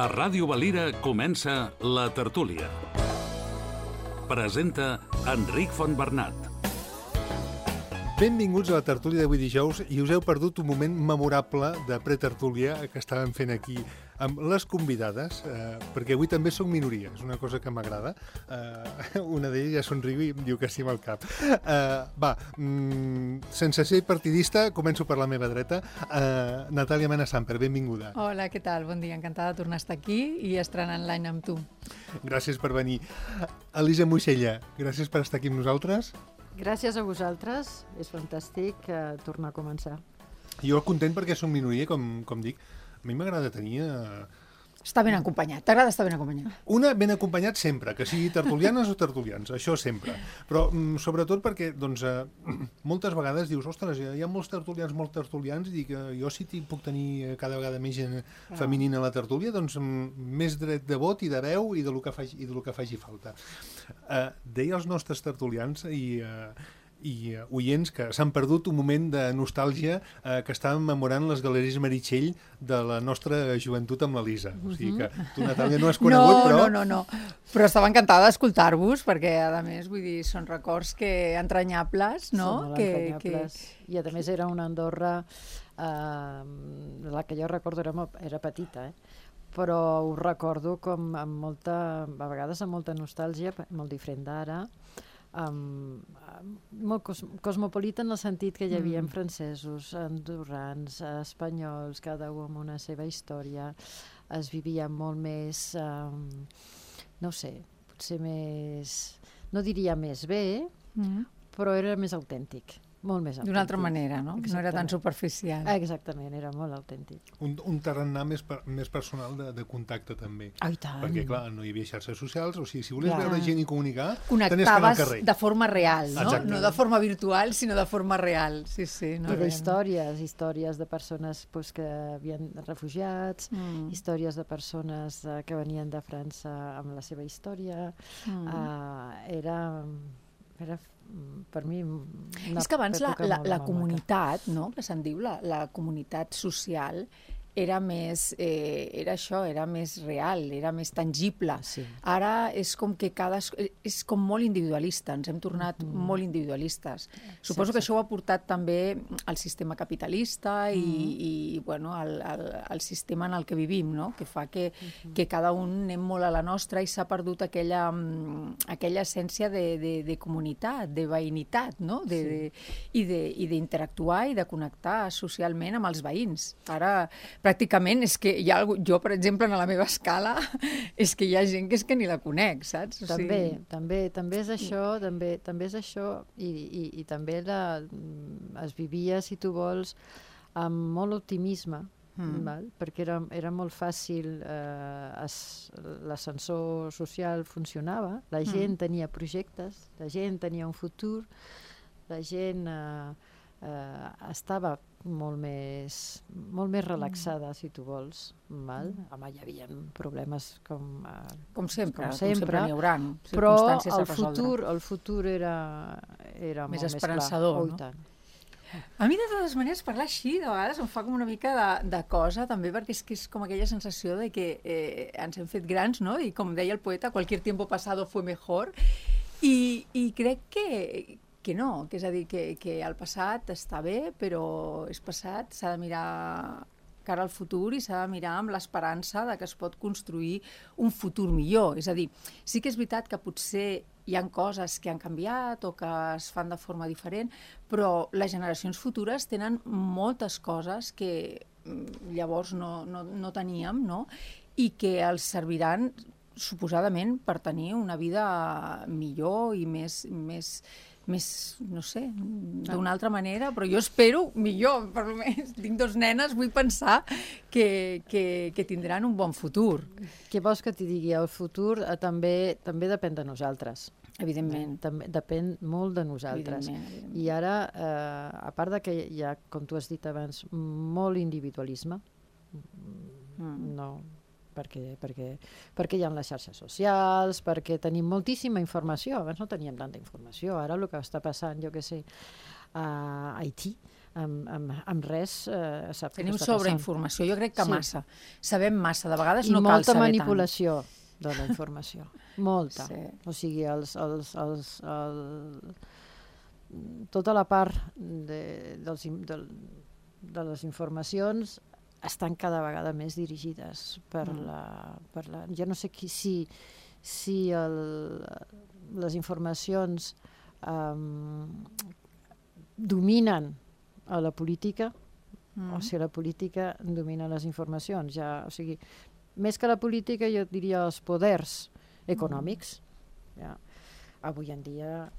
A Ràdio Valira comença La Tertúlia. Presenta Enric Fontbernat. Benvinguts a la tertúlia d'avui dijous i us heu perdut un moment memorable de pretertúlia que estàvem fent aquí amb les convidades, perquè avui també soc minoria, és una cosa que m'agrada. Una d'elles ja somriu i em diu que sí amb el cap. Sense ser partidista, començo per la meva dreta. Natàlia Mena Samper, benvinguda. Hola, què tal? Bon dia, encantada de tornar a estar aquí i estrenant l'any amb tu. Gràcies per venir. Elisa Moixella, gràcies per estar aquí amb nosaltres. Gràcies a vosaltres, és fantàstic tornar a començar. Jo content perquè som minoria, com dic. A mi m'agrada tenir... Està ben acompanyat, t'agrada estar ben acompanyat? Una ben acompanyat sempre, que sigui tertulianes o tertulians, això sempre. Però sobretot perquè, doncs, moltes vegades dius, ostres, hi ha molts tertulians, i dic, jo si puc tenir cada vegada més gent femenina a la tertúlia, doncs més dret de vot i de veu i del que faci falta. Deia els nostres tertulians i oients que s'han perdut un moment de nostàlgia que estàvem memorant les galeries Meritxell de la nostra joventut amb l'Elisa. O sigui que tu, Natàlia, no has conegut, però... No. Però estava encantada d'escoltar-vos, perquè, a més, vull dir, són records entranyables, no? Són molt entranyables. I, a més, era una Andorra, la que jo recordo era petita, però ho recordo com a vegades amb molta nostàlgia, molt diferent d'ara, molt cosmopolita en el sentit que hi havia francesos, andorrans, espanyols, cada un amb una seva història. Es vivia molt més, no sé, potser més, no diria més bé, però era més autèntic. Molt més autèntic. D'una altra manera, no? Exactament. No era tan superficial. Exactament, era molt autèntic. Un tarannà més personal de contacte, també. Ai, tant! Perquè, clar, no hi havia xarxes socials, o sigui, si volies veure gent i comunicar, tenies que anar al connectaves carrer. de forma real, no? Exacte. No de forma virtual, sinó de forma real. Sí. No, I històries de persones que havien refugiats, històries de persones que venien de França amb la seva història. Era per mi és que abans la comunitat, no? Que se'n diu, la comunitat social era més real, era més tangible. Sí. Ara és com que és com molt individualista, ens hem tornat molt individualistes. Suposo que això ho ha portat també el sistema capitalista i bueno, el sistema en el que vivim, no? Que fa que cada un anem molt a la nostra i s'ha perdut aquella essència de comunitat, de veïnitat, no? I d'interactuar i de connectar socialment amb els veïns. Ara pràcticament és que hi ha jo, per exemple, en la meva escala, és que hi ha gent que és que ni la conec, saps? També és això, i també es vivia, si tu vols, amb molt optimisme, perquè era molt fàcil, l'ascensor social funcionava, la gent tenia projectes, la gent tenia un futur, la gent estava molt més relaxada, si tu vols. Home, hi havia problemes com sempre n'hi haurà, però el futur era més molt esperançador, més clar. No? A mi, de totes maneres, parlar així de vegades em fa com una mica de cosa, també, perquè és com aquella sensació de que ens hem fet grans, no? I com deia el poeta, cualquier tiempo pasado fue mejor. I crec que no, que és a dir, que el passat està bé, però és passat, s'ha de mirar cara al futur i s'ha de mirar amb l'esperança de que es pot construir un futur millor. És a dir, sí que és veritat que potser hi ha coses que han canviat o que es fan de forma diferent, però les generacions futures tenen moltes coses que llavors no teníem, no? I que els serviran suposadament per tenir una vida millor i més, no sé, d'una altra manera, però jo espero millor, per almenys tinc 2 nenes, vull pensar que tindran un bon futur. Què vols que t'hi digui? El futur també depèn de nosaltres. Evidentment. També depèn molt de nosaltres. Evidentment. I ara, a part de que hi ha, com tu has dit abans, molt individualisme, no... perquè hi ha les xarxes socials, perquè tenim moltíssima informació. Abans no teníem tanta informació. Ara el que està passant, jo què sé, a Haití, amb res sap què Tenim està passant. sobreinformació, jo crec que Sí. massa. Sabem massa, de vegades I no cal molta saber manipulació de la informació. Molta. Sí. O sigui, tota la part de les informacions estan cada vegada més dirigides per la... Jo no sé si les informacions dominen a la política o si la política domina les informacions. O sigui, més que la política, jo diria els poders econòmics. Ja. Avui en dia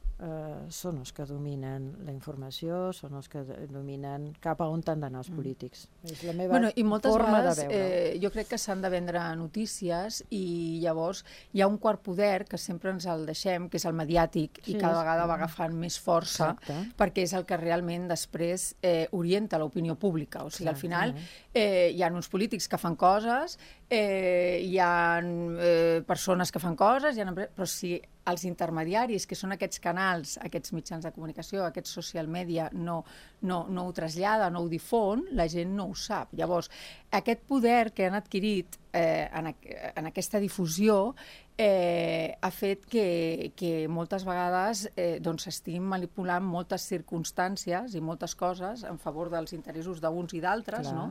són els que dominen la informació, són els que dominen cap a on han d'anar els polítics. És la meva I moltes forma vegades de veure. jo crec que s'han de vendre notícies i llavors hi ha un quart poder que sempre ens el deixem, que és el mediàtic, i cada vegada va agafant més força perquè és el que realment després orienta l'opinió pública. O sigui, al final hi ha uns polítics que fan coses, hi ha persones que fan coses, però si els intermediaris, que són aquests canals, aquests mitjans de comunicació, aquests social media, no ho trasllada, no ho difon, la gent no ho sap. Llavors, aquest poder que han adquirit en aquesta difusió ha fet que moltes vegades s'estiguin manipulant moltes circumstàncies i moltes coses en favor dels interessos d'uns i d'altres, no?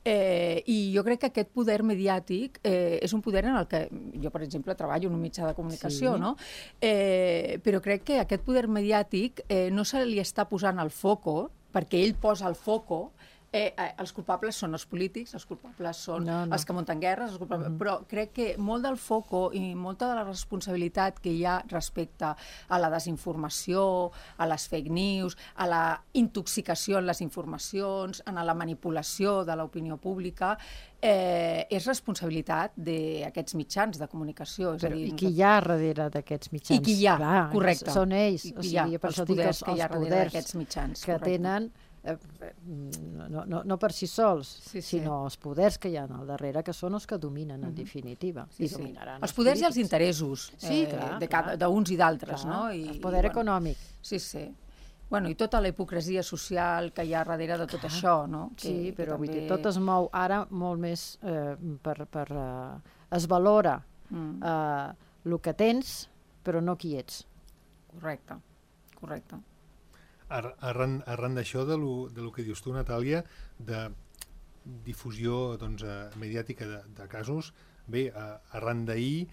I jo crec que aquest poder mediàtic és un poder en el que jo, per exemple, treballo en un mitjà de comunicació, no? Però crec que aquest poder mediàtic no se li està posant el foco, perquè ell posa el foco. Els culpables són els polítics, els culpables són els que munten guerres, però crec que molt del foco i molta de la responsabilitat que hi ha respecte a la desinformació, a les fake news, a la intoxicació en les informacions, a la manipulació de l'opinió pública, és responsabilitat d'aquests mitjans de comunicació. I qui hi ha darrere d'aquests mitjans? I qui hi ha, correcte. Són ells. O sigui, per això dic els poders que hi ha darrere d'aquests mitjans. Que tenen no per si sols, sinó els poders que hi ha al darrere, que són els que dominen, en definitiva. I dominaran els poders i els interessos d'uns i d'altres. El poder econòmic. Sí, sí. I tota la hipocresia social que hi ha darrere de tot això, no? Sí, però vull dir, tot es mou ara molt més es valora el que tens, però no qui ets. Correcte, correcte. Arran d'això, de lo que dius tu, Natàlia, de difusió mediàtica de casos, bé, arran d'ahir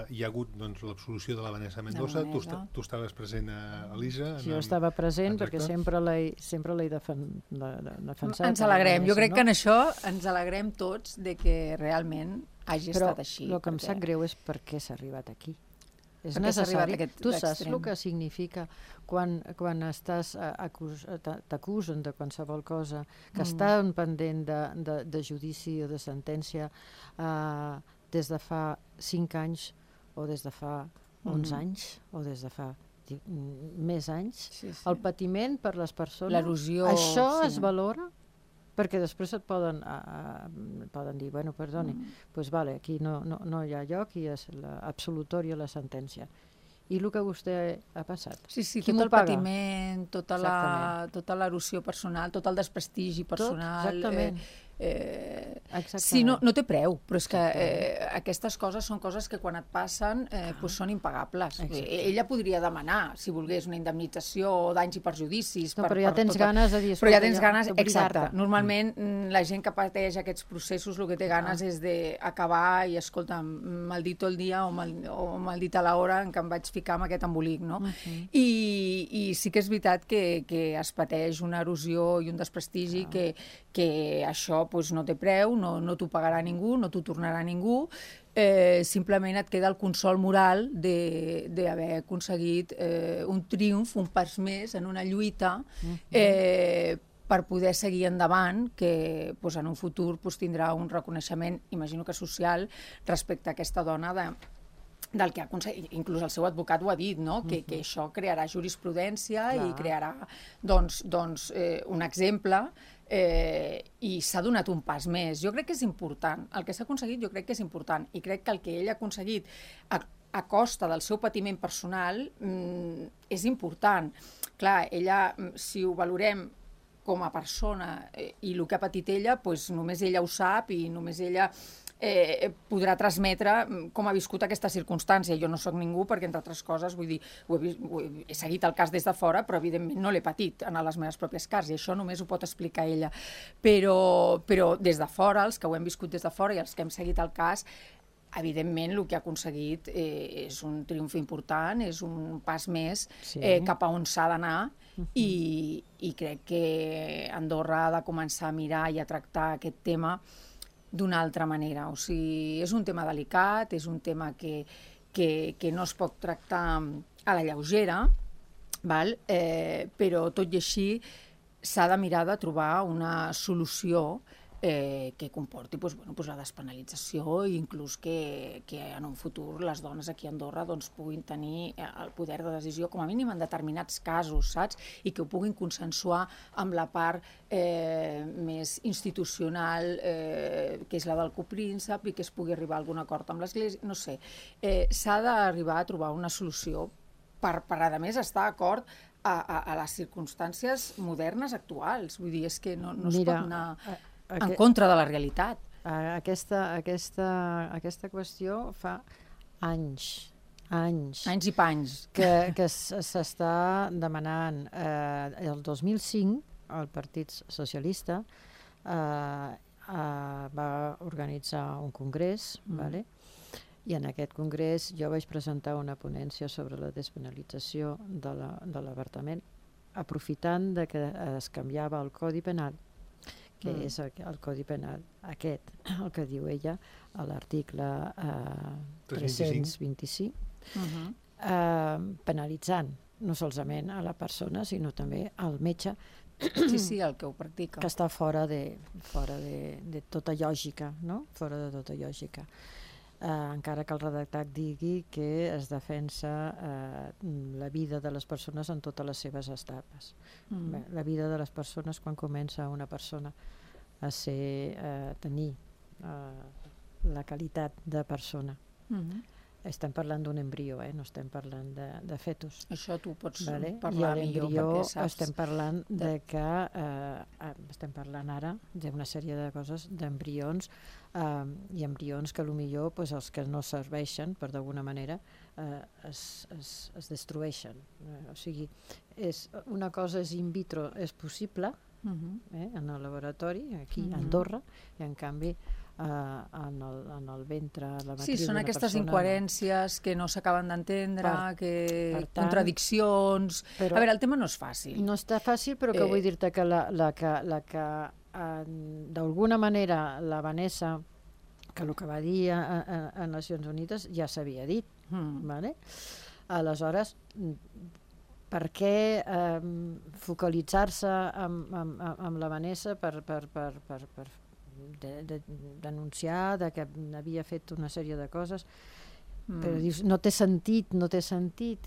hi ha hagut l'absolució de la Vanessa Mendoza, tu estaves present a Elisa. Jo estava present perquè sempre l'he defensat. Ens alegrem, jo crec que en això ens alegrem tots de que realment hagi estat així. Però el que em sap greu és per què s'ha arribat aquí. És necessari. Tu saps el que significa quan t'acusen de qualsevol cosa, que estan pendent de judici o de sentència des de fa 5 anys o des de fa 11 anys o des de fa més anys. El patiment per les persones, l'erosió, això es valora? Perquè després et poden dir, bueno, perdoni, doncs vale, aquí no hi ha lloc i és l'absolutòria la sentència. I el que vostè ha passat? Sí, tot el patiment, tota l'erosió personal, tot el desprestigi personal. Exactament. Sí, no té preu, però és que aquestes coses són coses que quan et passen són impagables. Ella podria demanar, si volgués, una indemnització o danys i perjudicis. Però ja tens ganes de dir... Però ja tens ganes, exacte. Normalment la gent que pateix aquests processos el que té ganes és d'acabar i, escolta, maldito el dia o maldita l'hora en què em vaig ficar amb aquest embolic, no? I sí que és veritat que es pateix una erosió i un desprestigi que això no té preu, no t'ho pagarà ningú, no t'ho tornarà ningú, simplement et queda el consol moral d'haver aconseguit un triomf, un pas més en una lluita per poder seguir endavant, que en un futur tindrà un reconeixement, imagino que social, respecte a aquesta dona del que ha aconseguit, inclús el seu advocat ho ha dit, no? Que això crearà jurisprudència i crearà un exemple i s'ha donat un pas més. Jo crec que és important. El que s'ha aconseguit jo crec que és important i crec que el que ell ha aconseguit a costa del seu patiment personal és important. Clar, ella, si ho valorem com a persona i el que ha patit ella, doncs només ella ho sap i només ella podrà transmetre com ha viscut aquesta circumstància. Jo no sóc ningú perquè, entre altres coses, vull dir, he seguit el cas des de fora, però evidentment no l'he patit en les meves pròpies cases, i això només ho pot explicar ella. Però des de fora, els que ho hem viscut des de fora i els que hem seguit el cas, evidentment el que ha aconseguit és un triomf important, és un pas més cap a on s'ha d'anar, i crec que Andorra ha de començar a mirar i a tractar aquest tema d'una altra manera. O sigui, és un tema delicat, és un tema que no es pot tractar a la lleugera, però tot i així s'ha de mirar de trobar una solució que comporti la despenalització i inclús que en un futur les dones aquí a Andorra puguin tenir el poder de decisió, com a mínim en determinats casos, saps? I que ho puguin consensuar amb la part més institucional, que és la del copríncep, i que es pugui arribar a algun acord amb l'Església, no sé. S'ha d'arribar a trobar una solució per a més, estar d'acord a les circumstàncies modernes actuals. Vull dir, és que no es pot anar en contra de la realitat. Aquesta qüestió fa anys i panys que s'està demanant. El 2005 el Partit Socialista va organitzar un congrés, i en aquest congrés jo vaig presentar una ponència sobre la despenalització de l'avortament, aprofitant que es canviava el Codi Penal, que és el Codi Penal aquest, el que diu ella, a l'article 325, penalitzant no solament a la persona, sinó també al metge, sí, el que ho practica, que està fora de tota lògica, no? Fora de tota lògica. Encara que el redactat digui que es defensa la vida de les persones en totes les seves etapes. La vida de les persones quan comença una persona a tenir la qualitat de persona. Estem parlant d'un embrió, no estem parlant de fetus. Això tu pots parlar millor, perquè saps. Estem parlant estem parlant ara d'una sèrie de coses, d'embrions, i embrions que potser els que no serveixen, per d'alguna manera, es destrueixen. O sigui, una cosa és in vitro, és possible, en el laboratori, aquí a Andorra, i en canvi en el ventre, la matriu d'una persona. Sí, són aquestes incoherències que no s'acaben d'entendre, contradiccions. A veure, el tema no és fàcil. No està fàcil, però que vull dir-te que la que d'alguna manera la Vanessa, que el que va dir a Nacions Unides ja s'havia dit. Aleshores, per què focalitzar-se amb la Vanessa per denunciar que havia fet una sèrie de coses? Però dius, no té sentit,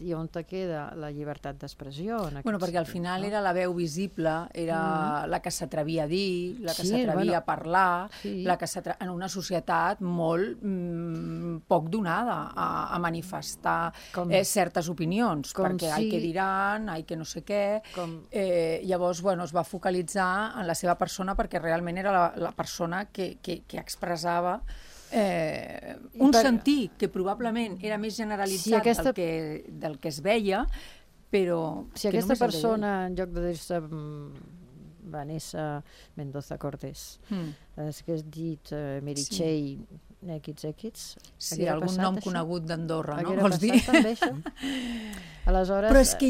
i on te queda la llibertat d'expressió? Perquè al final era la veu visible, era la que s'atrevia a dir, la que s'atrevia a parlar, en una societat molt poc donada a manifestar certes opinions, perquè ai que diran, ai que no sé què. Llavors, es va focalitzar en la seva persona perquè realment era la persona que expressava un sentir que probablement era més generalitzat del que es veia, però... Si aquesta persona, en lloc de dir-se Vanessa Mendoza Cortés, hagués dit Meritxell XX, sí, algun nom conegut d'Andorra, no? Vols dir? També, això? Aleshores... Però és que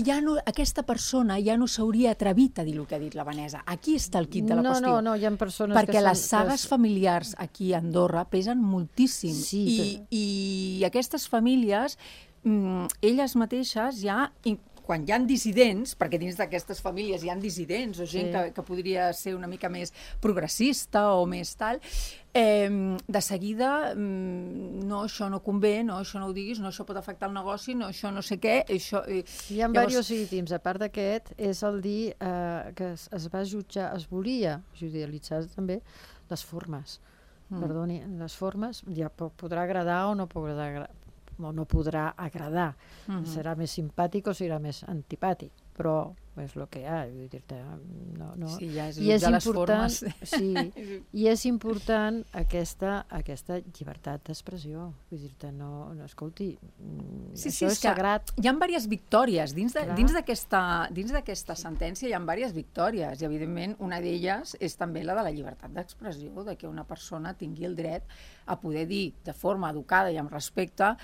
aquesta persona ja no s'hauria atrevit a dir el que ha dit la Vanessa. Aquí està el quid de la qüestió. No, hi ha persones perquè les sagues familiars aquí a Andorra pesen moltíssim. I aquestes famílies, elles mateixes ja... Quan hi ha dissidents, perquè dins d'aquestes famílies hi ha dissidents o gent que podria ser una mica més progressista o més tal, de seguida, no, això no convé, no, això no ho diguis, no, això pot afectar el negoci, no, això no sé què... Hi ha diversos ítems. A part d'aquest, és el dir que es va jutjar, es volia judicialitzar també les formes. Perdoni, les formes ja podrà agradar o no podrà agradar. Serà més simpàtic o serà més antipàtic, però és el que hi ha, vull dir-te, no. Sí, ja és I és jutjar les important, formes. sí, i és important aquesta llibertat d'expressió, vull dir-te, no, escolti, això és sagrat. Hi ha diverses victòries, dins Clar. d'aquesta sentència hi ha diverses victòries, i evidentment una d'elles és també la de la llibertat d'expressió, de que una persona tingui el dret a poder dir de forma educada i amb respecte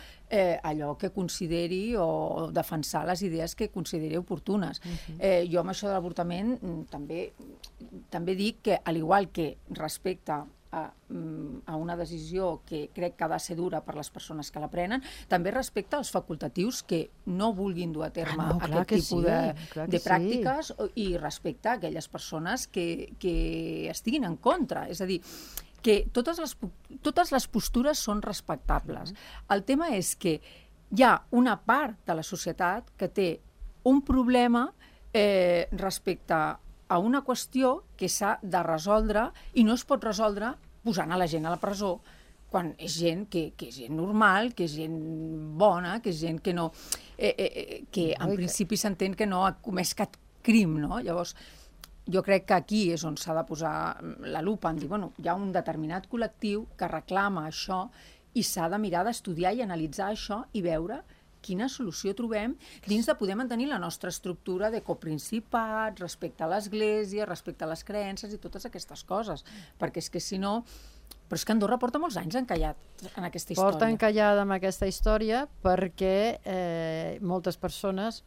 allò que consideri o defensar les idees que consideri oportunes. Jo amb això de l'avortament també dic que, al igual que respecte a una decisió que crec que ha de ser dura per les persones que la prenen, també respecte als facultatius que no vulguin dur a terme aquest tipus de pràctiques i respecte a aquelles persones que estiguin en contra. És a dir, que totes les postures són respectables. El tema és que hi ha una part de la societat que té un problema respecte a una qüestió que s'ha de resoldre i no es pot resoldre posant a la gent a la presó quan és gent que és gent normal, que és gent bona, que és gent que no... que en principi s'entén que no ha comès cap crim, no? Llavors, jo crec que aquí és on s'ha de posar la lupa, en dir, bueno, hi ha un determinat col·lectiu que reclama això i s'ha de mirar d'estudiar i analitzar això i veure quina solució trobem dins de poder mantenir la nostra estructura de coprincipat, respecte a l'Església, respecte a les creences i totes aquestes coses. Perquè és que si no... Però és que Andorra porta molts anys encallat en aquesta història. Porta encallada amb aquesta història perquè moltes persones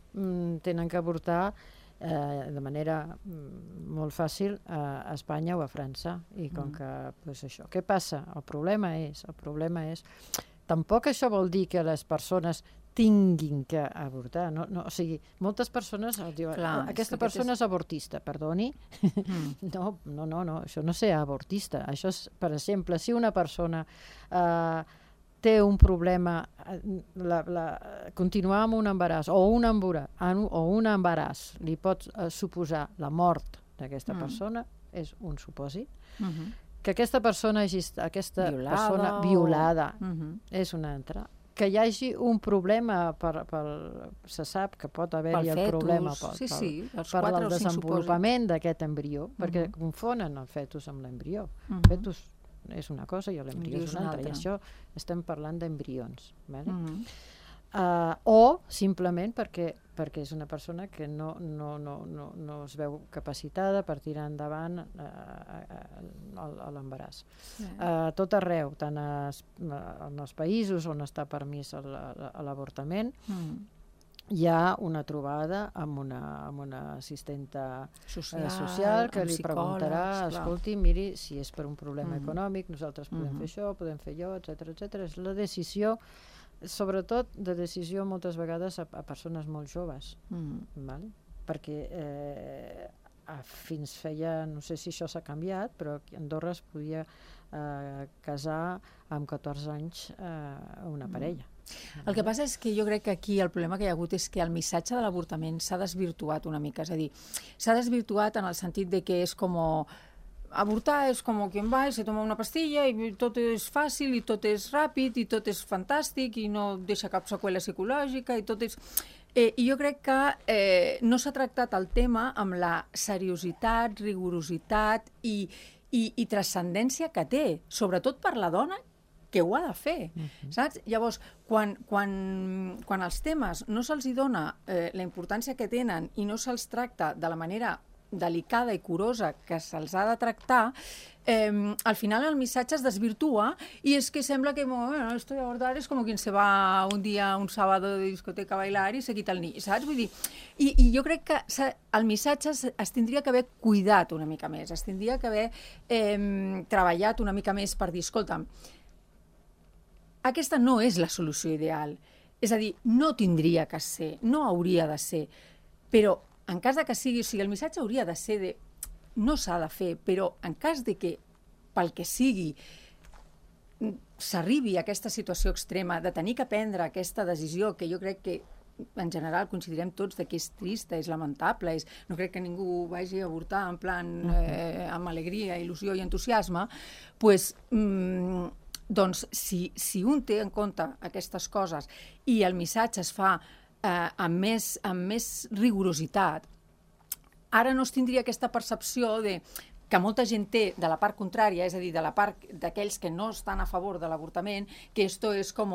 tenen que avortar de manera molt fàcil a Espanya o a França. I com que, doncs això, què passa? El problema és... Tampoc això vol dir que les persones tinguin que avortar. No, o sigui, moltes persones diuen, aquesta persona és avortista, perdoni. No, això no és avortista. Això és, per exemple, si una persona té un problema, continuar amb un embaràs o un embaràs li pot suposar la mort d'aquesta persona, és un supòsit. Que aquesta persona violada és una altra. Que hi hagi un problema, se sap que pot haver-hi el problema per el desenvolupament d'aquest embrió, perquè confonen el fetus amb l'embrió. El fetus és una cosa i l'embrió és una altra, i això estem parlant d'embrions. O simplement perquè és una persona que no es veu capacitada per tirar endavant l'embaràs. Tot arreu, tant en els països on està permís l'avortament, hi ha una trobada amb una assistenta social que li preguntarà, escolti, miri, si és per un problema econòmic, nosaltres podem fer això, podem fer allò, etcètera. És la decisió, sobretot de decisió moltes vegades a persones molt joves, perquè fins feia, no sé si això s'ha canviat, però a Andorra es podia casar amb 14 anys una parella. El que passa és que jo crec que aquí el problema que hi ha hagut és que el missatge de l'avortament s'ha desvirtuat una mica, és a dir, s'ha desvirtuat en el sentit de que és com avortar és com quien va i se toma una pastilla i tot és fàcil i tot és ràpid i tot és fantàstic i no deixa cap seqüela psicològica i tot és... I jo crec que no s'ha tractat el tema amb la seriositat, rigorositat i transcendència que té, sobretot per la dona que ho ha de fer, saps? Llavors, quan els temes no se'ls dona la importància que tenen i no se'ls tracta de la manera delicada i curosa que se'ls ha de tractar, al final el missatge es desvirtua i es que sembla que esto de abortar es como quien se va un día, un sábado de discoteca a bailar y se quita el niño, saps? Vull dir, i jo crec que el missatge es tindria que haver cuidat una mica més, es tindria que haver treballat una mica més per dir, escolta'm, aquesta no és la solució ideal. És a dir, no tindria que ser, no hauria de ser, però en cas de que sigui, o sigui, el missatge hauria de ser de no s'ha de fer, però en cas de que, pel que sigui, s'arribi a aquesta situació extrema de tenir que prendre aquesta decisió, que jo crec que en general considerem tots que és trista, és lamentable, no crec que ningú vagi a avortar en plan amb alegria, il·lusió i entusiasme, doncs si un té en compte aquestes coses i el missatge es fa amb més rigorositat, ara no es tindria aquesta percepció de que molta gent té de la part contrària, és a dir, de la part d'aquells que no estan a favor de l'avortament, que esto és com...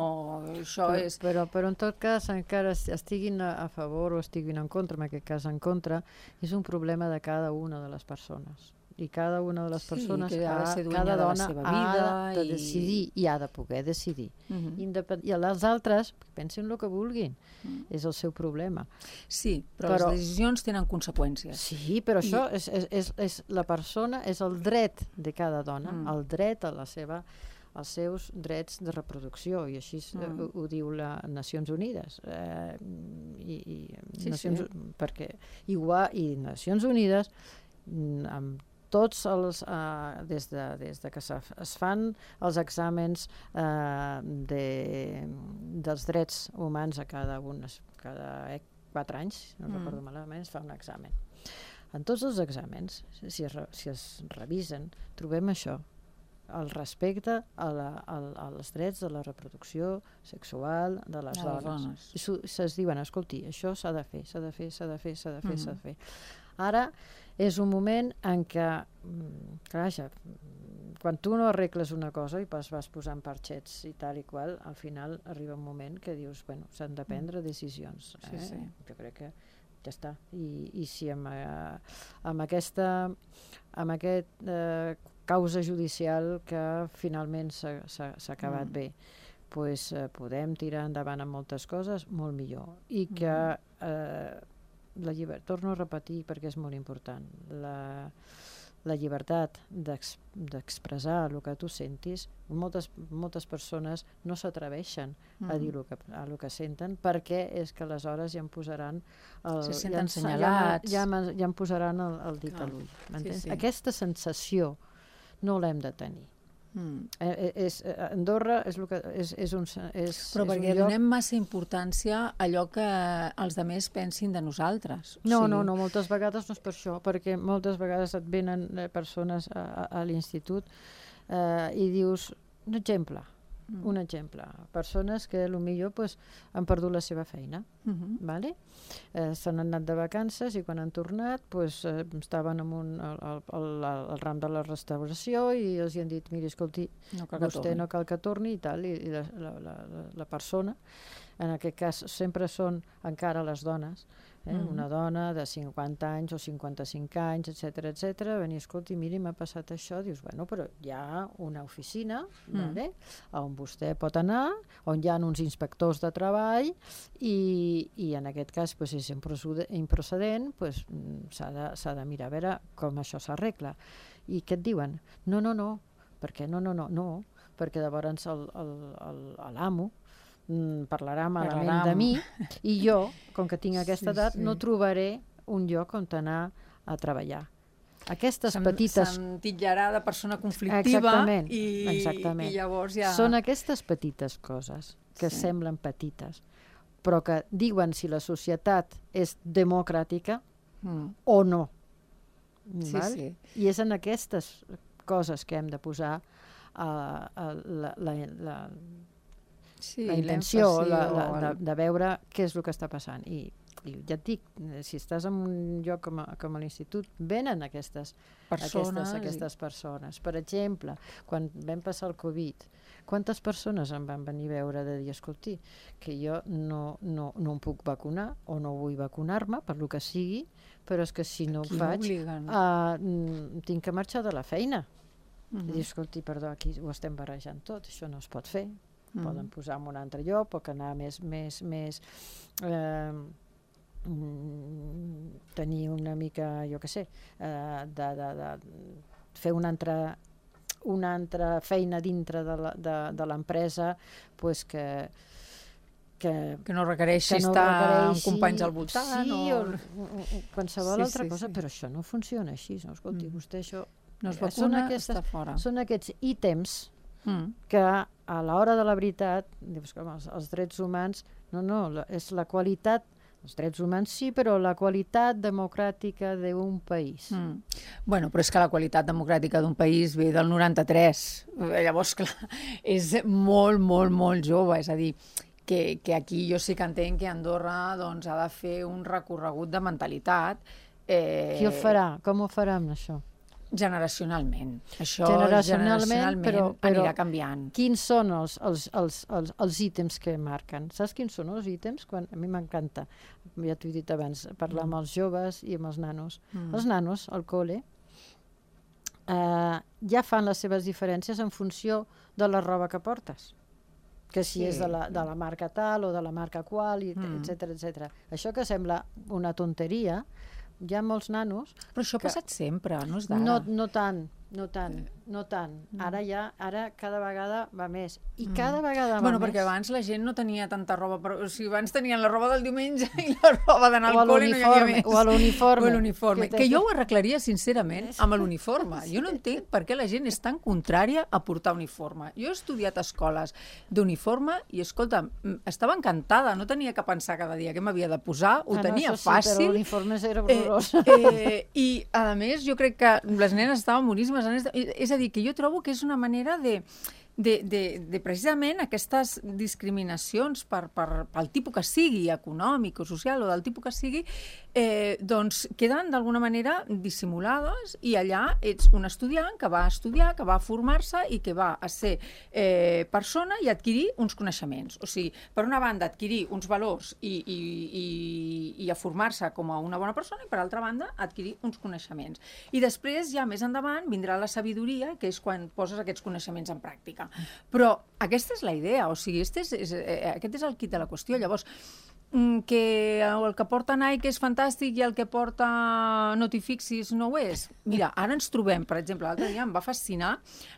Això és... Però en tot cas, encara estiguin a favor o estiguin en contra, en aquest cas en contra, és un problema de cada una de les persones. I cada una de les persones, cada dona ha de decidir i ha de poder decidir. I els altres pensin el que vulguin. És el seu problema. Sí, però les decisions tenen conseqüències. Sí, però això és la persona, és el dret de cada dona, el dret a la seva els seus drets de reproducció, i així ho diu les Nacions Unides. Perquè i Nacions Unides, amb tots els, des de que es fan els exàmens dels drets humans a cada 4 anys, no recordo malament, es fa un examen. En tots els exàmens, si es revisen, trobem això, el respecte als drets de la reproducció sexual de les dones. I se'ls diuen, escolti, això s'ha de fer, s'ha de fer, s'ha de fer, s'ha de fer, s'ha de fer. Ara és un moment en què, clar, quan tu no arregles una cosa i vas posant parxets i tal i qual, al final arriba un moment que dius, bueno, s'han de prendre decisions. Jo crec que ja està. I si amb aquest causa judicial que finalment s'ha acabat bé, doncs podem tirar endavant amb moltes coses, molt millor. I que torno a repetir perquè és molt important, la llibertat d'expressar el que tu sentis, moltes persones no s'atreveixen a dir el que senten, perquè és que aleshores ja em posaran se senten senyalats, ja em posaran el dit a l'ull. Aquesta sensació no l'hem de tenir. Andorra és un però perquè donem massa importància a allò que els altres pensin de nosaltres. No, moltes vegades no és per això, perquè moltes vegades et venen persones a l'institut i dius, un exemple, persones que potser han perdut la seva feina, s'han anat de vacances i quan han tornat estaven al ram de la restauració i els han dit, miri, escolti, vostè no cal que torni i tal, i la persona, en aquest cas sempre són encara les dones, una dona de 50 anys o 55 anys, etc., venir, escolti, miri, m'ha passat això, dius, bueno, però hi ha una oficina on vostè pot anar, on hi ha uns inspectors de treball i en aquest cas és improcedent, s'ha de mirar a veure com això s'arregla. I què et diuen? No, perquè perquè llavors l'amo parlarà malament de mi i jo, com que tinc aquesta edat, no trobaré un lloc on anar a treballar. Aquestes petites... Se'm titllarà de persona conflictiva. Exactament. I llavors ja... Són aquestes petites coses que semblen petites, però que diuen si la societat és democràtica o no. I és en aquestes coses que hem de posar la intenció de veure què és el que està passant. I ja et dic, si estàs en un lloc com a l'institut, venen aquestes persones. Per exemple, quan vam passar el Covid, quantes persones em van venir a veure de dir, escolti, que jo no em puc vacunar o no vull vacunar-me, per lo que sigui, però és que si no ho faig, tinc que marxar de la feina. I dir, escolti, perdó, aquí ho estem barrejant tot, això no es pot fer. Poden posar en un altre lloc, pot anar més tenir una mica, jo què sé, de fer una altra feina dintre de l'empresa que no requereixi estar amb companys al voltant o qualsevol altra cosa, però això no funciona així. Escolti, vostè això... No es vacuna, està fora. Són aquests ítems que a l'hora de la veritat, com els drets humans, és la qualitat, els drets humans sí, però la qualitat democràtica d'un país. Bueno, però és que la qualitat democràtica d'un país ve del 93. Llavors, clar, és molt, molt, molt jove. És a dir, que aquí jo sí que entenc que Andorra ha de fer un recorregut de mentalitat Qui el farà? Com ho farem, això? Generacionalment. Això Generacionalment, però anirà canviant. Quins són els ítems que marquen? Saps quins són els ítems? A mi m'encanta, ja t'ho he dit abans, parlar amb els joves i amb els nanos. Els nanos, al col·le, ja fan les seves diferències en funció de la roba que portes. Que si és de la marca tal o de la marca qual, etc. Això que sembla una tonteria, hi ha molts nanos... Però això ha passat sempre, no és d'ara. No tant. Ara cada vegada va més. I cada vegada va més. Perquè abans la gent no tenia tanta roba. O sigui, abans tenien la roba del diumenge i la roba d'anar al col·le i no hi havia més. O a l'uniforme. Que jo ho arreglaria, sincerament, amb l'uniforme. Jo no entenc per què la gent és tan contrària a portar uniforme. Jo he estudiat escoles d'uniforme i, escolta, estava encantada. No tenia que pensar cada dia què m'havia de posar. Ho tenia fàcil. Però l'uniforme era horrorós. I, a més, jo crec que les nenes estaven boníssimes. És a dir, que jo trobo que és una manera de precisament aquestes discriminacions pel tipus que sigui, econòmic o social o del tipus que sigui, doncs queden d'alguna manera dissimulades i allà ets un estudiant que va estudiar, que va formar-se i que va a ser persona i adquirir uns coneixements. O sigui, per una banda, adquirir uns valors i a formar-se com a una bona persona i per altra banda, adquirir uns coneixements. I després, ja més endavant, vindrà la sabidoria, que és quan poses aquests coneixements en pràctica. Però aquesta és la idea, o sigui, aquest és el quid de la qüestió. Llavors, que el que porta Nike és fantàstic i el que porta no t'hi fixis no ho és. Mira, ara ens trobem, per exemple, l'altre dia em va fascinar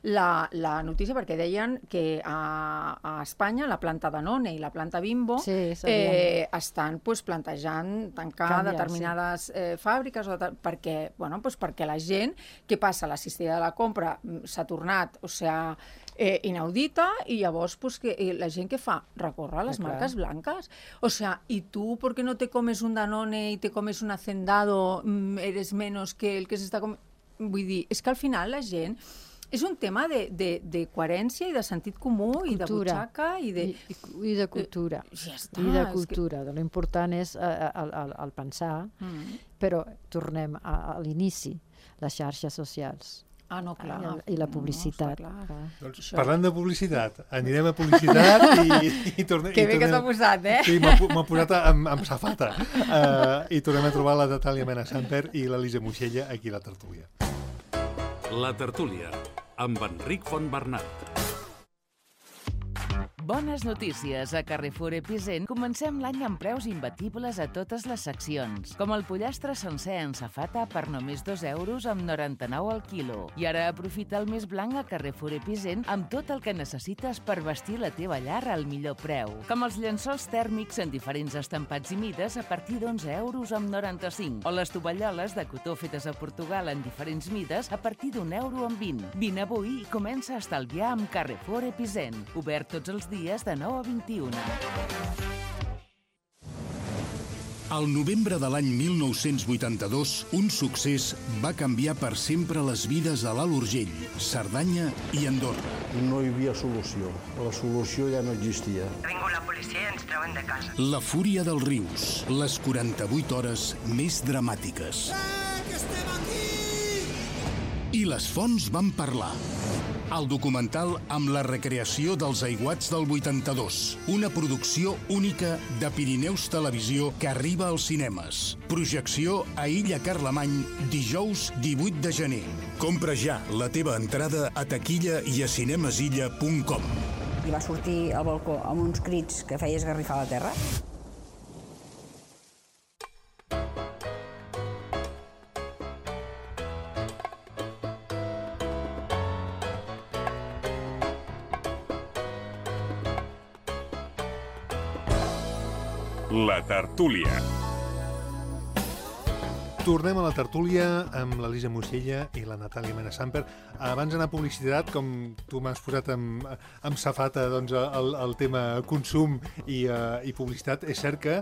la notícia perquè deien que a Espanya la planta Danone i la planta Bimbo estan plantejant tancar determinades fàbriques perquè la gent, què passa? La cistella de la compra s'ha tornat, o sigui, inaudita, i llavors la gent què fa? Recorre a les marques blanques. O sigui, y tú, porque no te comes un Danone y te comes un Hacendado, eres menos que el que s'està comiendo? Vull dir, és que al final la gent... És un tema de coherència i de sentit comú i de butxaca i de cultura. Ja està. I de cultura. L'important és el pensar, però tornem a l'inici, les xarxes socials. Ah, no, clar. I la publicitat. Doncs, parlant de publicitat, anirem a publicitat i tornem... Que bé que t'ha posat, eh? Sí, m'ha posat amb safata. I tornem a trobar la Natàlia Mena Samper i l'Elisa Moixella aquí a la tertúlia. La tertúlia, amb Enric Fontbernat. Bones notícies. A Carrefour Epicent comencem l'any amb preus imbatibles a totes les seccions, com el pollastre sencer en safata per només 2 euros amb 99 al quilo. I ara aprofita el mes blanc a Carrefour Epicent amb tot el que necessites per vestir la teva llar al millor preu, com els llençols tèrmics en diferents estampats i mides a partir d'11 euros amb 95, o les tovalloles de cotó fetes a Portugal en diferents mides a partir d'1 euro amb 20. Vine avui i comença a estalviar amb Carrefour Epicent. Obert tots els dies de 9 a 21. Al novembre de l'any 1982, un succés va canviar per sempre les vides a l'Alt Urgell, Cerdanya i Andorra. No hi havia solució. La solució ja no existia. Vingo la policia i ens treuen de casa. La fúria dels rius, les 48 hores més dramàtiques. Que estem aquí! I les fonts van parlar. El documental amb la recreació dels aiguats del 82. Una producció única de Pirineus Televisió que arriba als cinemes. Projecció a Illa Carlemany, dijous 18 de gener. Compra ja la teva entrada a taquilla i a cinemesilla.com. I va sortir al balcó amb uns crits que feia esgarrifar la terra. La tertúlia. Tornem a la tertúlia amb l'Elisa Moixella i la Natàlia Mena Samper. Abans d'anar a publicitat, com tu m'has posat amb safata doncs, el tema consum i publicitat, és cert que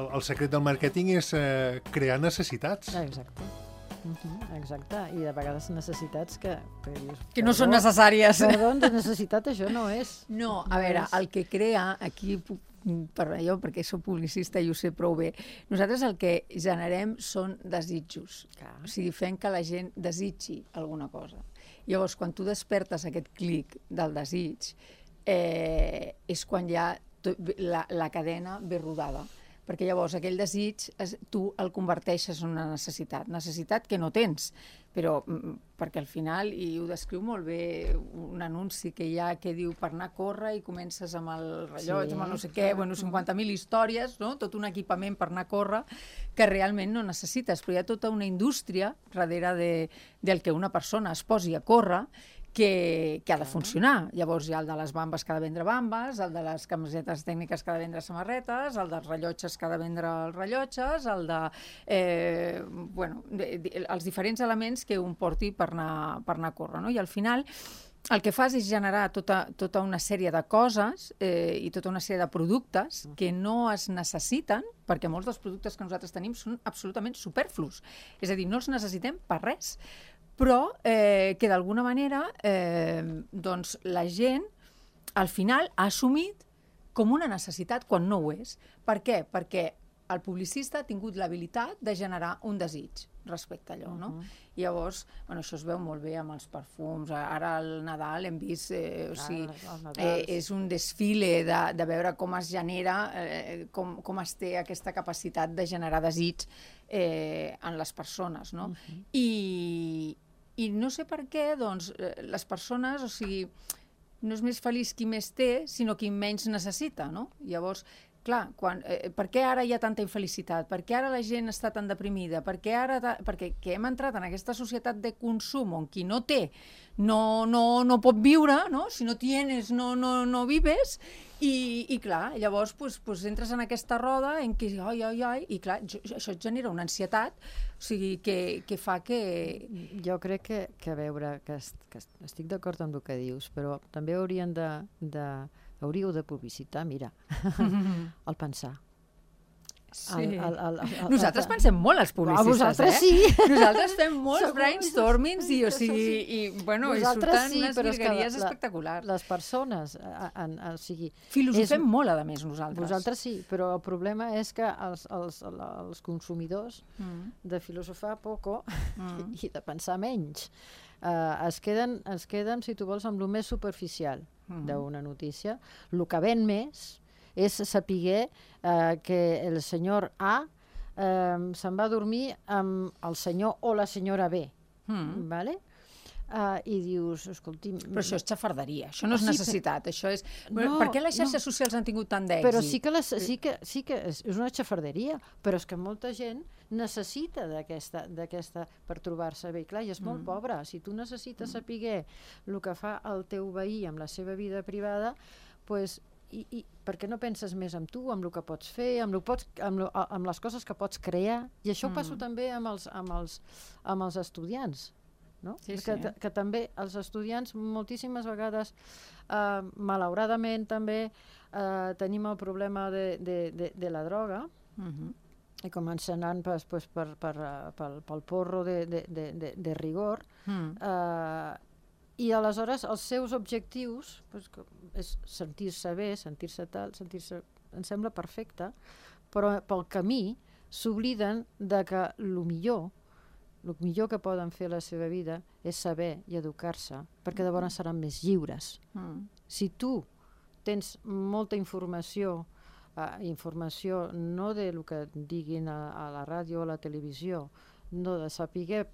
el secret del màrqueting és crear necessitats. Exacte. Exacte, i de vegades necessitats que no són necessàries. Perdó, de necessitat això no és. No, a veure, el que crea, aquí perquè soc publicista i ho sé prou bé, nosaltres el que generem són desitjos. O sigui, fem que la gent desitgi alguna cosa. Llavors, quan tu despertes aquest clic del desig, és quan ja la cadena ve rodada. Perquè llavors aquell desig tu el converteixes en una necessitat que no tens, però perquè al final, i ho descriu molt bé un anunci que hi ha que diu per anar a córrer i comences amb el rellotge, amb el no sé què, 50.000 històries, no? Tot un equipament per anar a córrer que realment no necessites, però hi ha tota una indústria darrere del que una persona es posi a córrer que ha de funcionar. Llavors hi ha el de les bambes que ha de vendre bambes, el de les camisetes tècniques que ha de vendre samarretes, el dels rellotges que ha de vendre els rellotges, el de... els diferents elements que un porti per anar a córrer, no? I al final el que fas és generar tota una sèrie de coses i tota una sèrie de productes que no es necessiten, perquè molts dels productes que nosaltres tenim són absolutament superflus. És a dir, no els necessitem per res. Però que d'alguna manera doncs la gent al final ha assumit com una necessitat quan no ho és. Per què? Perquè el publicista ha tingut l'habilitat de generar un desig respecte a allò, no? I llavors, això es veu molt bé amb els perfums. Ara al Nadal hem vist, és un desfile de veure com es genera, com es té aquesta capacitat de generar desig en les persones, no? I no sé per què, doncs, les persones, o sigui, no és més feliç qui més té, sinó qui menys necessita, no? Llavors, clar, per què ara hi ha tanta infelicitat? Per què ara la gent està tan deprimida? Perquè hem entrat en aquesta societat de consum on qui no té no pot viure, no? Si no tienes, no vives, i clar, llavors entres en aquesta roda en què, i clar, això et genera una ansietat, o sigui, que fa que... Jo crec que a veure, que estic d'acord amb el que dius, però també hauríeu de publicitar, mira, el pensar. Sí. Nosaltres pensem molt, els publicistes, vosaltres sí. Nosaltres fem molts brainstormings i surten unes virgueries espectaculars. Les persones, o sigui... Filosofem molt, a més, nosaltres. Vosaltres sí, però el problema és que els consumidors de filosofar poco i de pensar menys es queden, si tu vols, amb el més superficial d'una notícia. El que ven més és saber que el senyor A se'n va dormir amb el senyor o la senyora B. Vale? I dius, escolti... Però això és xafarderia, això no és necessitat, això és... Per què les xarxes socials han tingut tant d'èxit? Però sí que és una xafarderia, però és que molta gent necessita d'aquesta per trobar-se bé. Clar, i és molt pobre. Si tu necessites saber el que fa el teu veí amb la seva vida privada, doncs i per què no penses més en tu, amb el que pots fer, amb les coses que pots crear? I això ho passo també amb els estudiants, no? Sí. Que també els estudiants moltíssimes vegades, malauradament també, tenim el problema de la droga, i comença anant pel porro de rigor, i aleshores els seus objectius és sentir-se bé, sentir-se tal, em sembla perfecte, però pel camí s'obliden de que el millor que poden fer a la seva vida és saber i educar-se, perquè llavors seran més lliures. Si tu tens molta informació no del que diguin a la ràdio o a la televisió, no de saber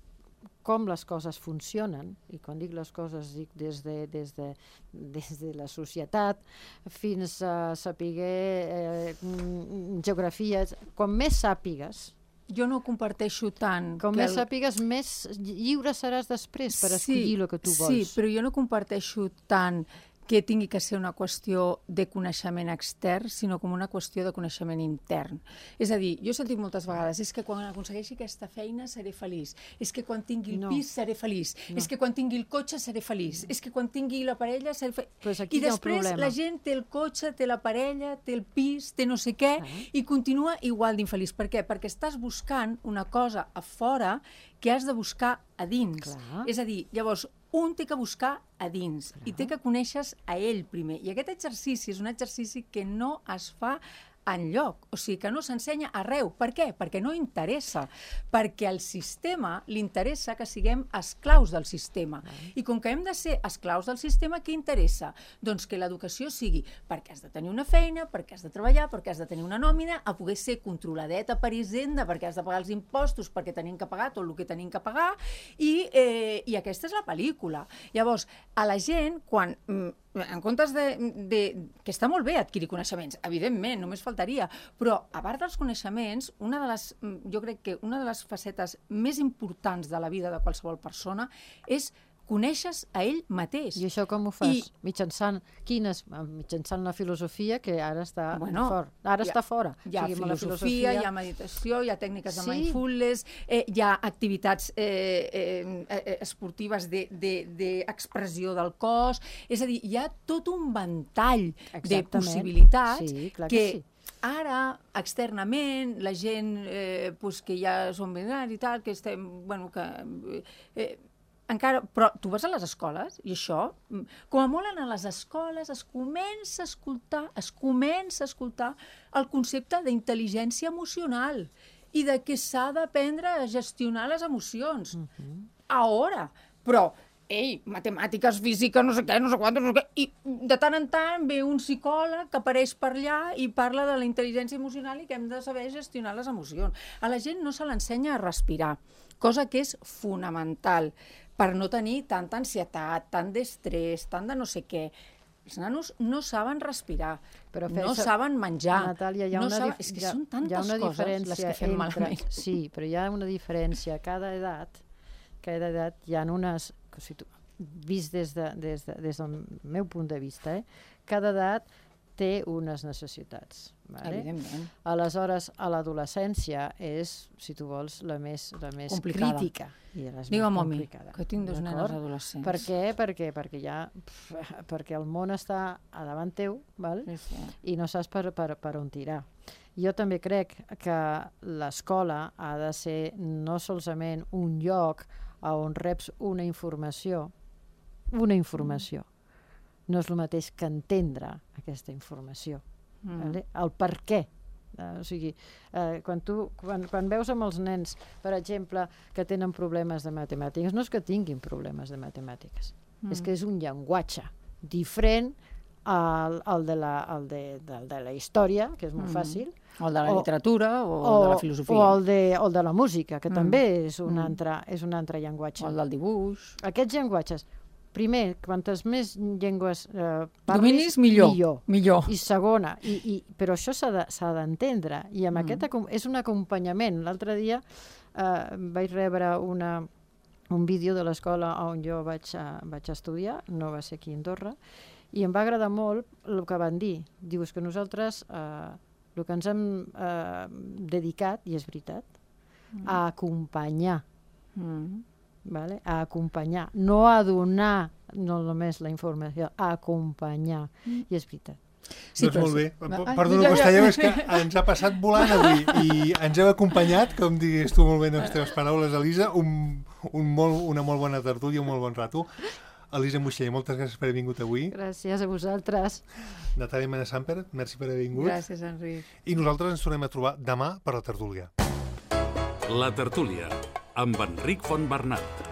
com les coses funcionen, i quan dic les coses dic des de la societat fins a saber geografies, quan més sàpigues, jo no comparteixo tant... Com més sàpigues, més lliure seràs després per escollir el que tu vols. Sí, però jo no comparteixo tant que tingui que ser una qüestió de coneixement extern, sinó com una qüestió de coneixement intern. És a dir, jo he sentit moltes vegades, és que quan aconsegueixi aquesta feina seré feliç, és que quan tingui el pis seré feliç, és que quan tingui el cotxe seré feliç, és que quan tingui la parella seré feliç. Pues I després la gent té el cotxe, té la parella, té el pis, té no sé què, i continua igual d'infeliç. Per què? Perquè estàs buscant una cosa a fora que has de buscar a dins. És a dir, llavors, un té que buscar a dins i té que conèixer a ell primer. I aquest exercici és un exercici que no es fa enlloc, o sigui, que no s'ensenya arreu. Per què? Perquè no interessa, perquè al sistema li interessa que siguem esclaus del sistema. I com que hem de ser esclaus del sistema, què interessa? Doncs que l'educació sigui perquè has de tenir una feina, perquè has de treballar, perquè has de tenir una nòmina, a poder ser controladeta per Hisenda, perquè has de pagar els impostos, perquè tenim que pagar tot el que tenim que pagar, i aquesta és la pel·lícula. Llavors, a la gent, quan en comptes que està molt bé adquirir coneixements, evidentment, només faltaria, però a part dels coneixements, jo crec que una de les facetes més importants de la vida de qualsevol persona és coneixes a ell mateix. I això com ho fas? Mitjançant la filosofia, que ara està fora. Ara està fora. Hi ha filosofia, hi ha meditació, hi ha tècniques de mindfulness, hi ha activitats esportives d'expressió del cos, és a dir, hi ha tot un ventall de possibilitats que ara, externament, la gent que ja som binaris i tal, que estem, encara, però tu vas a les escoles i això, com a molt a les escoles es comença a escoltar el concepte d'intel·ligència emocional i de que s'ha d'aprendre a gestionar les emocions. Ara, però matemàtiques, física, no sé què, no sé quant, no sé què, i de tant en tant ve un psicòleg que apareix per allà i parla de la intel·ligència emocional i que hem de saber gestionar les emocions. A la gent no se l'ensenya a respirar, cosa que és fonamental per no tenir tanta ansietat, tant d'estrès, tant de no sé què. Els nanos no saben respirar, no saben menjar. Natàlia, és que són tantes coses les que fem malament. Sí, però hi ha una diferència. A cada edat hi ha unes... Vist des del meu punt de vista, cada edat té unes necessitats. Evidentment. Aleshores, a l'adolescència és, si tu vols, la més crítica. Digue'm a mi, que tinc dos nenes adolescents. Per què? Perquè el món està a davant teu, i no saps per on tirar. Jo també crec que l'escola ha de ser no solament un lloc on reps una informació. No és el mateix que entendre aquesta informació. El per què. O sigui, quan veus amb els nens, per exemple, que tenen problemes de matemàtiques, no és que tinguin problemes de matemàtiques, és que és un llenguatge diferent al de la història, que és molt fàcil, o el de la literatura, o de la filosofia. O el de la música, que també és un altre llenguatge. O el del dibuix. Aquests llenguatges, primer, quantes més llengües dominis, millor. I segona, però això s'ha d'entendre, i amb aquest és un acompanyament. L'altre dia vaig rebre un vídeo de l'escola on jo vaig estudiar, no va ser aquí a Andorra, i em va agradar molt el que van dir. Dius que nosaltres el que ens hem dedicat, i és veritat, a acompanyar. A acompanyar, no a donar no només la informació, a acompanyar, i és veritat. Doncs molt bé. Perdona, Costello, és que ens ha passat volant avui i ens heu acompanyat, com digues tu molt bé en les teves paraules, Elisa, una molt bona tertúlia, un molt bon rato. Elisa Muixell, moltes gràcies per haver vingut avui. Gràcies a vosaltres. Natàlia Mena-Samper, merci per haver vingut. Gràcies, Enric. I nosaltres ens tornem a trobar demà per la tertúlia. La tertúlia, amb Enric Fontbernat.